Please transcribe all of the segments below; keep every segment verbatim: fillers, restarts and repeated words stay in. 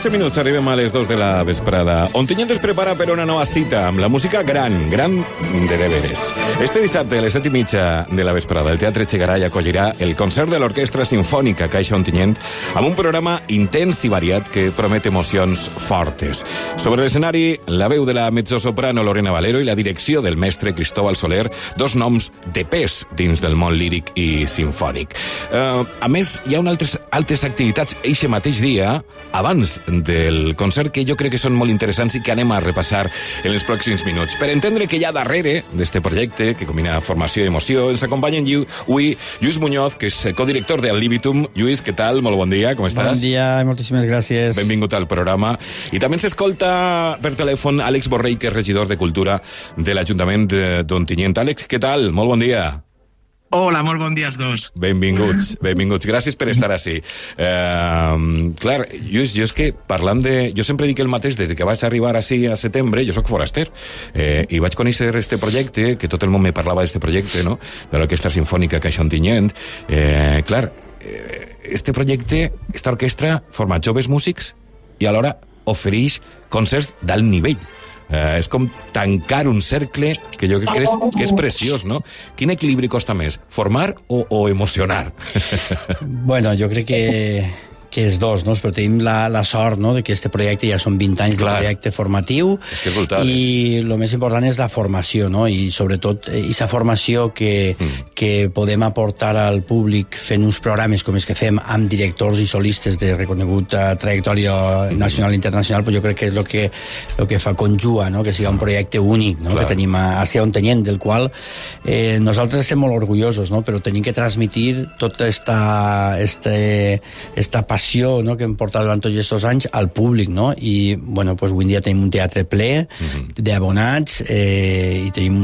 tretze minuts, arribem a les dos de la vesprada. Ontinyent es prepara per una nova cita amb la música gran, gran de deberes. Este dissabte, a les set i mitja de la vesprada, el Teatre Chegaray acollirà el concert de l'Orquestra Simfònica Caixa Ontinyent amb un programa intens i variat que promet emocions fortes. Sobre l'escenari, la veu de la mezzosoprano Lorena Valero i la direcció del mestre Cristóbal Soler, dos noms de pes dins del món líric i simfònic. Uh, a més, hi ha unes altres, altres activitats eixe mateix dia, abans del concert, que jo crec que són molt interessants i que anem a repassar en els pròxims minuts. Per entendre que hi ha darrere d'este projecte, que combina formació i emoció, ens acompanyen avui Lluís Muñoz, que és codirector de Ad Libitum. Lluís, què tal? Molt bon dia, com estàs? Bon dia i moltíssimes gràcies. Benvingut al programa. I també s'escolta per telèfon Àlex Borrell, que és regidor de Cultura de l'Ajuntament d'Ontinyent. Àlex, què tal? Molt bon dia. Hola, molt bon dia als dos. Benvinguts, benvinguts. Gràcies per estar així. Uh, clar, Lluís, jo és que parlant de... Jo sempre dic el mateix, des que vaig arribar així a setembre, jo sóc foraster, eh, i vaig conèixer este projecte, que tot el món me parlava d'este projecte, no?, de l'Orquestra Simfònica Caixa Ontinyent. Eh, clar, este projecte, esta orquestra, forma joves músics i alhora ofereix concerts d'alt nivell. Uh, és com tancar un cercle que jo crec que és, que és preciós, no? Quin equilibri costa més, formar o, o emocionar? Bueno, jo crec que, que és dos, no? Però tenim la, la sort, no?, de que este projecte ja són vint anys Clar. de projecte formatiu. És que és brutal, i eh? el més important és la formació, no? I sobretot aquesta formació que, mm. que podem aportar al públic fent uns programes com els que fem amb directors i solistes de reconeguda trajectòria mm. nacional i internacional, però jo crec que és el que, el que fa conjua, no?, que sigui un projecte únic, no?, Clar. que tenim a, a Ontinyent, del qual eh, nosaltres estem molt orgullosos, no?, però tenim que transmitir tota esta, este, esta passió, no?, que hem portat durant tots aquests anys al públic, no? I, bueno, pues, avui en dia tenim un teatre ple mm-hmm. d'abonats eh, i tenim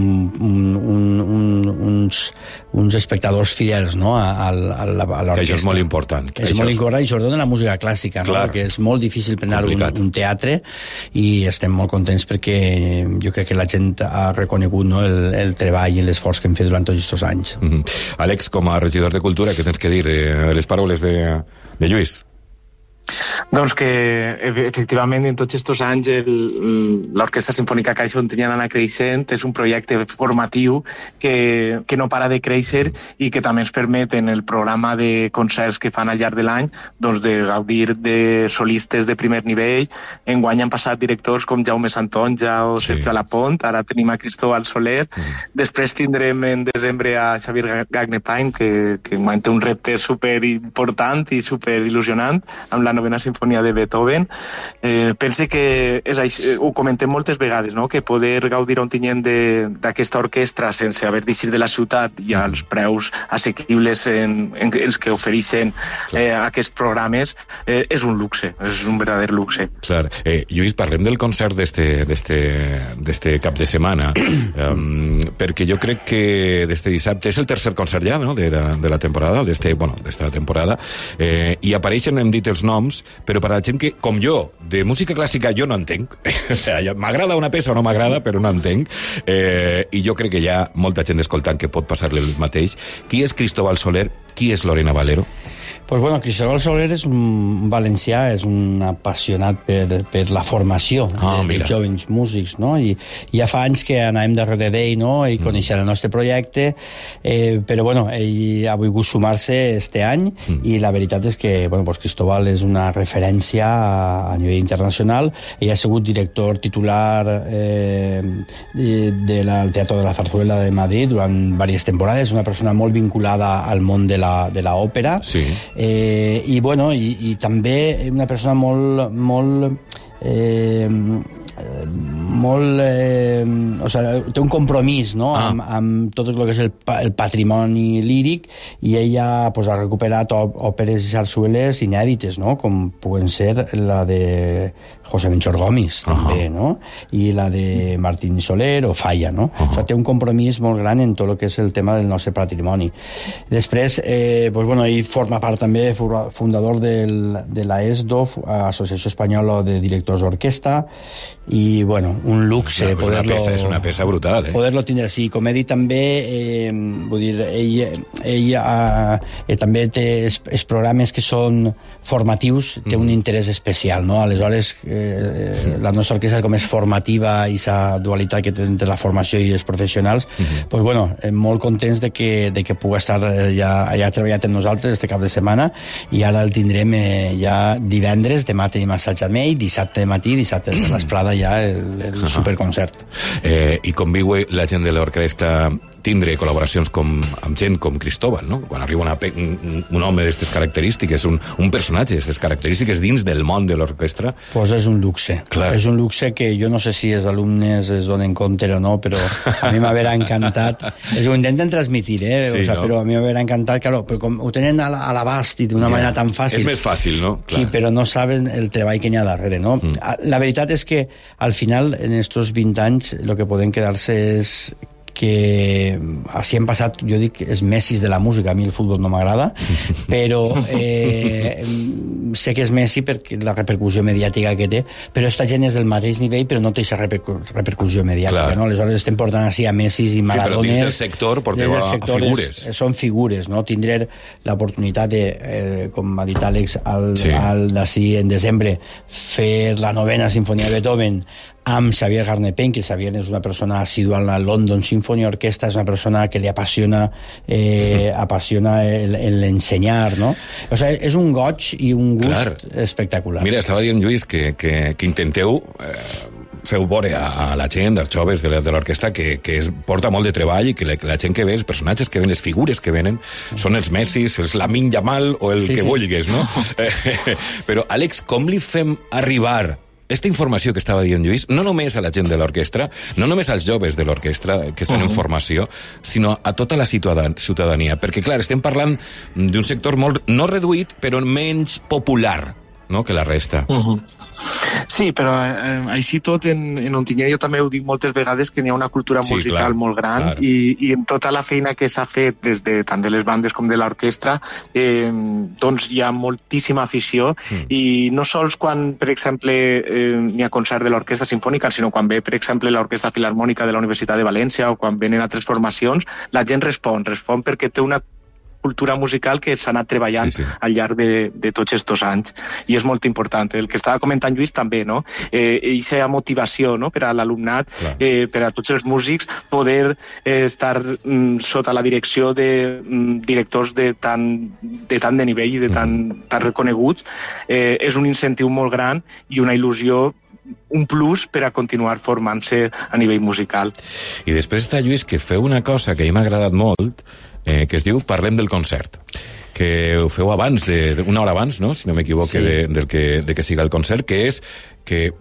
un, un, un, uns, uns espectadors fidels, no?, a, a, a l'orquestra. Que això és molt important. Que és molt important, i sobretot en la música clàssica, no?, perquè és molt difícil prendre un, un teatre, i estem molt contents perquè jo crec que la gent ha reconegut, no?, el, el treball i l'esforç que hem fet durant tots aquests anys. Mm-hmm. Àlex, com a regidor de Cultura, què tens que dir eh, les paraules de, de Lluís? Doncs que, efectivament, en tots aquests anys l'Orquestra Simfònica Caixa Ontinyent ha anat creixent, és un projecte formatiu que, que no para de créixer i que també ens permet en el programa de concerts que fan al llarg de l'any doncs de gaudir de solistes de primer nivell. Enguany han passat directors com Jaume Santonja o sí. Sergio Alapont, ara tenim a Cristóbal Soler, mm. després tindrem en desembre a Xavier Gagnepain, que, que té un repte superimportant i superil·lusionant amb la novena sinfonia de Beethoven. Eh, pense que és així, ho comentem moltes vegades, no?, que poder gaudir a Ontinyent d'aquesta orquestra sense haver d'eixir de la ciutat i als preus assequibles en, en els que ofereixen eh, aquests programes eh, és un luxe, és un verdader luxe. Clar. Eh, Lluís, parlem del concert d'este cap de setmana, um, perquè jo crec que d'este dissabte és el tercer concert ja, no?, de la, de la temporada, d'este, bueno, d'esta temporada, eh, i apareixen, hem dit els noms, però per a la gent que, com jo, de música clàssica jo no entenc, o sigui, m'agrada una peça o no m'agrada, però no entenc, eh, i jo crec que hi ha molta gent escoltant que pot passar-li el mateix. Qui és Cristóbal Soler? Qui és Lorena Valero? Pues bueno, Cristóbal Soler és un valencià, és un apassionat per, per la formació ah, de, de jovens músics, no? I, i ja fa anys que anàvem darrere d'ell, no?, i mm. coneixia el nostre projecte, eh, però bueno, ell ha volgut sumar-se este any, mm. i la veritat és que, bueno, pues Cristóbal és una referència a, a nivell internacional. Ell ha sigut director titular eh, del de Teatre de la Zarzuela de Madrid durant diverses temporades, una persona molt vinculada al món de la, de la òpera, sí. Eh, i bueno, i, i també una persona molt molt eh, molt eh, o sigui, té un compromís, no?, ah. amb, amb tot el que és el, el patrimoni líric, i ella pues, ha recuperat òperes i sarsueles inèdites, no?, com puguen ser la de José Menchor Gomis, uh -huh. també, no?, i la de Martín Soler o Falla, no? Uh -huh. O sigui, té un compromís molt gran en tot el que és el tema del nostre patrimoni. Després, eh, pues, bueno, ell forma part també, fundador del, de la E S D O, Associació Espanyola de Directors d'Orquestra, i bueno, un luxe és una, poder-lo... peça, és una peça brutal, eh? Poder-lo tindre així. Com he dit també, eh, vull dir, ell, ell eh, també té els, els programes que són formatius, té un interès especial, no? Aleshores, eh, la nostra orquestra com és formativa i sa dualitat que té entre la formació i els professionals, uh-huh. pues bueno, molt contents de que, de que pugui estar ja, ja treballat amb nosaltres este cap de setmana, i ara el tindrem eh, ja divendres, demà tenim assaig amb ell, dissabte de matí, dissabte de vesprada ja el, el uh-huh. superconcert. Eh, I com viu la gent de l'orquestra tindre col·laboracions com, amb gent com Cristóbal, no? Quan arriba una, un, un home d'aquestes característiques, un, un personatge d'aquestes característiques dins del món de l'orquestra... Pues és un luxe. Clar. És un luxe que jo no sé si els alumnes es donen compte o no, però a mi m'haurà encantat. Es ho intenten transmitir, eh? Sí, o sea, no? Però a mi m'haurà encantat, claro, però com ho tenen a l'abast i d'una yeah. manera tan fàcil... És més fàcil, no? Clar. Sí, però no saben el treball que n'hi ha darrere, no? Mm. La veritat és que, al final, en estos vint anys, el que podem quedar-se és que així hem passat, jo dic, els Messis de la música. A mi el futbol no m'agrada, però eh, sé que és Messi perquè la repercussió mediàtica que té, però aquesta gent és del mateix nivell, però no té aquesta repercu repercussió mediàtica, no? Aleshores estem portant així a Messis i Maradones. Sí, però dins del sector porteu a figures. És, són figures, no? Tindré l'oportunitat de, eh, com ha dit Àlex, al, sí. al d'ací en desembre, fer la novena sinfonia de Beethoven amb Xavier Garnepén, que Xavier és una persona assidua en la London Symphony Orchestra, és una persona que li apassiona eh, apassiona l'ensenyar, no? O sigui, és un goig i un gust Clar. espectacular. Mira, estava dient, Lluís, que, que, que intenteu eh, feu veure a, a la gent, als joves de l'orquestra, que, que es porta molt de treball i que la, la gent que ve, els personatges que ven, les figures que venen, són els Messis, els Lamine Yamal o el sí, que sí. vulguis, no? Però, Àlex, com li fem arribar aquesta informació que estava dient Lluís, no només a la gent de l'orquestra, no només als joves de l'orquestra que estan uh-huh. en formació, sinó a tota la ciutadania. Perquè, clar, estem parlant d'un sector molt, no reduït, però menys popular, no?, que la resta. Uh-huh. Sí, però eh, així tot en, en Ontinyent jo també ho dic moltes vegades que n'hi ha una cultura sí, musical clar, molt gran clar. i, i en tota la feina que s'ha fet des de tant de les bandes com de l'orquestra eh, doncs hi ha moltíssima afició mm. i no sols quan, per exemple, eh, n'hi ha concert de l'Orquestra Simfònica, sinó quan ve, per exemple, l'Orquestra Filharmònica de la Universitat de València o quan venen altres formacions, la gent respon, respon perquè té una cultura musical que s'ha anat treballant sí, sí. al llarg de, de tots aquests anys, i és molt important. El que estava comentant Lluís també, no? Eh, aquesta motivació, no?, per a l'alumnat, eh, per a tots els músics, poder eh, estar mm, sota la direcció de mm, directors de tant, de tant de nivell i de tan, mm. tan reconeguts, eh, és un incentiu molt gran i una il·lusió, un plus per a continuar formant-se a nivell musical. I després està, Lluís, que feu una cosa que a mi m'ha agradat molt, eh, que es diu Parlem del concert, que ho feu abans, de, de, una hora abans, no?, si no m'equivoque, sí. de, del que, de que siga el concert, que és que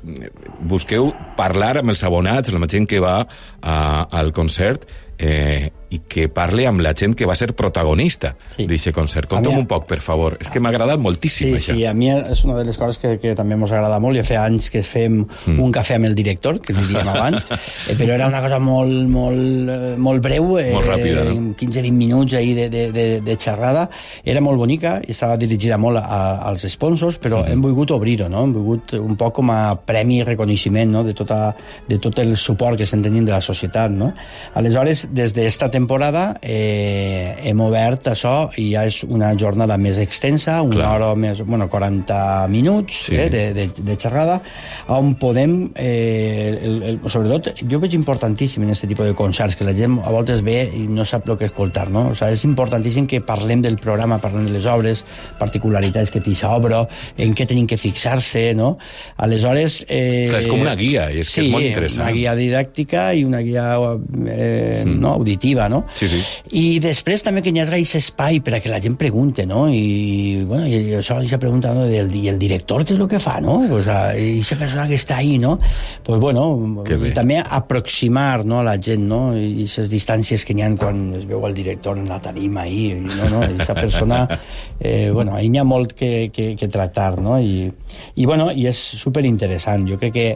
busqueu parlar amb els abonats, amb la gent que va a, al concert, eh, i que parli amb la gent que va ser protagonista sí. d'aquest concert. Conta'm un poc, per favor. És que m'ha agradat moltíssim, sí, això. Sí, a mi és una de les coses que, que també ens agrada molt. Ja fa anys que fem mm. un cafè amb el director, que li diem abans, eh, però era una cosa molt, molt, molt breu, eh, molt ràpida, no? quinze vint minuts ahí de, de, de, de xerrada. Era molt bonica i estava dirigida molt a, als sponsors, però mm. hem volgut obrir-ho, no? Hem volgut un poc com a premi i reconeixement, no?, de, tota, de tot el suport que estem tenint de la societat, no? Aleshores, des d'esta temporada eh, hem obert això i ja és una jornada més extensa, una Clar. hora més, bueno, quaranta minuts sí. eh, de, de, de xerrada, on podem, eh, el, el, sobretot, jo veig importantíssim en aquest tipus de concerts, que la gent a voltes ve i no sap el que escoltar, no? O sigui, és importantíssim que parlem del programa, parlem de les obres, particularitats que té aquesta obra, en què tenim que fixar-se, no? Aleshores... Eh, Clar, és com una guia, i és sí, que és molt interessant. Una guia didàctica i una guia eh, mm. no, auditiva, no? Sí, sí. I després també que hi hagi aquest espai per a que la gent pregunte, no? I, bueno, i això, aquesta pregunta, no? Del, i el director què és el que fa, no? O sea, i aquesta persona que està ahí, no? Pues bueno, i també aproximar, no, a la gent, no? I aquestes distàncies que n'hi ha quan es veu el director en la tarima ahí, i, no, no? I aquesta persona, eh, bueno, ahí n'hi ha molt que, que, que tractar, no? I, i bueno, i és superinteressant. Jo crec que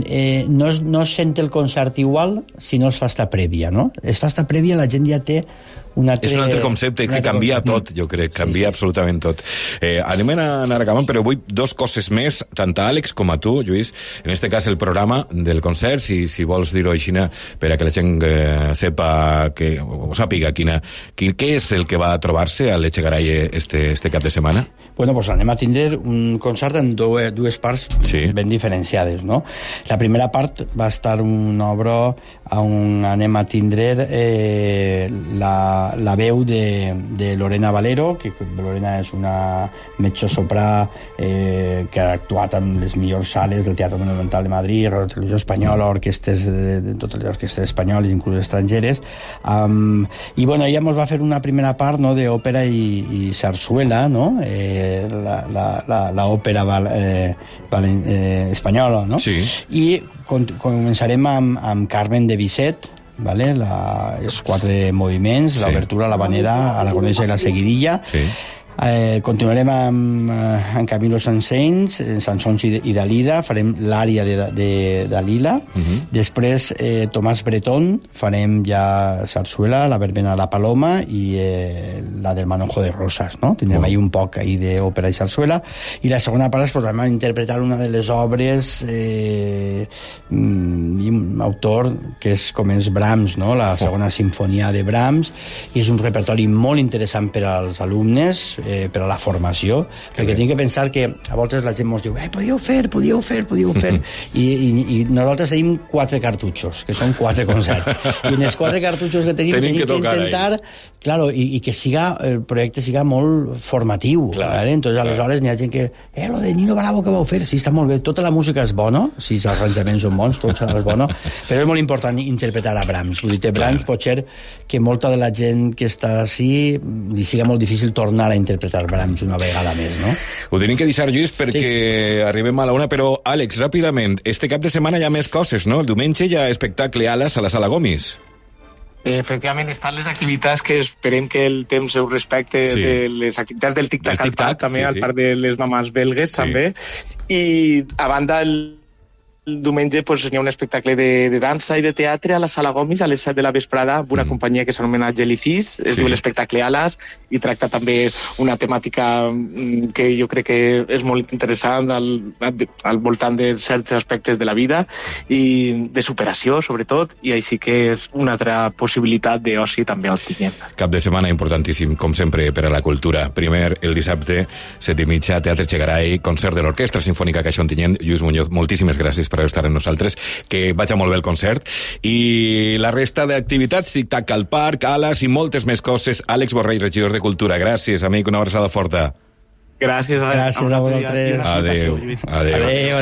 eh, no, es, no es sent el concert igual si no es fa esta prèvia, no? Es fa esta prèvia, la gent ja té un altre... És un altre concepte que canvia tot, jo crec, canvia sí, sí. absolutament tot. Eh, anem a anar acabant, però vull dos coses més, tant a Àlex com a tu, Lluís, en este cas el programa del concert, si, si vols dir-ho així, per a que la gent eh, sepa, que, o sàpiga quina, quin, què és el que va trobar-se a l'Echegaray este, este cap de setmana? Bueno, pues anem a tindre un concert en dues, dues parts sí. ben diferenciades, no? La primera part va estar una obra on anem a tindre eh, la, la veu de, de Lorena Valero, que Lorena és una mezzosoprà eh, que ha actuat en les millors sales del Teatre Monumental de Madrid, Radio Televisió Espanyola, orquestes de, de totes les orquestes espanyoles, inclús estrangeres. Um, I bueno, ella ens va fer una primera part, no?, d'òpera i, i sarsuela, no?, eh, la, la, la, la òpera val, eh, val, eh, espanyola, no? Sí. I con, començarem amb, amb Carmen de Bizet, vale? La, els quatre moviments, sí. l'obertura, la vanera, aragonesa i la seguidilla. Sí. Eh, continuarem amb, amb Camilo Sansens, Sansons i, i Dalila, farem l'ària de, de Dalila. Uh-huh. Després eh, Tomàs Bretón, farem ja Sarsuela, la verbena de la Paloma i eh, la del Manojo de Rosas, no? Tindrem oh. ahí un poc ahí d'òpera i sarsuela. I la segona part és pues, a interpretar una de les obres eh, d'un autor que és com és Brahms, no? La segona oh. sinfonia de Brahms, i és un repertori molt interessant per als alumnes, Eh, per a la formació, que perquè tinc que pensar que a voltes la gent ens diu eh, podíeu fer, podíeu fer, podíeu fer I, i, i nosaltres tenim quatre cartutxos que són quatre concerts i en els quatre cartutxos que tenim tenim, tenim que, que intentar claro, i, i que siga, el projecte siga molt formatiu, ¿vale? Entonces aleshores n'hi ha gent que, eh, lo de Nino Bravo que vau fer, sí, està molt bé, tota la música és bona, si els arranjaments són bons, tot és bona, però és molt important interpretar a Brahms, vull dir, Brahms pot ser que molta de la gent que està així li siga molt difícil tornar a interpretar interpretar Brahms una vegada més, no? Ho tenim que deixar, Lluís, perquè sí. arribem a la una, però, Àlex, ràpidament, este cap de setmana hi ha més coses, no? El diumenge hi ha espectacle Alas a la Sala Gomis. Efectivament, estan les activitats que esperem que el temps ho respecte sí. de les activitats del tic-tac al parc, també, sí, al sí. parc de les mamans belgues, sí. també. I, a banda, el El diumenge pues, hi ha un espectacle de, de dansa i de teatre a la Sala Gomis a les set de la vesprada amb una mm. companyia que s'anomena Jellyfish, es sí. diu l'espectacle Alas i tracta també una temàtica que jo crec que és molt interessant al, al voltant de certs aspectes de la vida i de superació, sobretot, i així que és una altra possibilitat d'oci també al Tinyent. Cap de setmana importantíssim, com sempre, per a la cultura. Primer, el dissabte, set i mitja, Teatre Echegaray, concert de l'Orquestra Sinfònica Caixa Ontinyent. Lluís Muñoz, moltíssimes gràcies per estar amb nosaltres, que vaig molt bé el concert, i la resta d'activitats, tic-tac al parc, Alas i moltes més coses. Àlex Borrell, regidor de Cultura, gràcies, amic, una abraçada forta. Gràcies a, gràcies a, a vosaltres. Adéu, adéu. Adéu, adéu.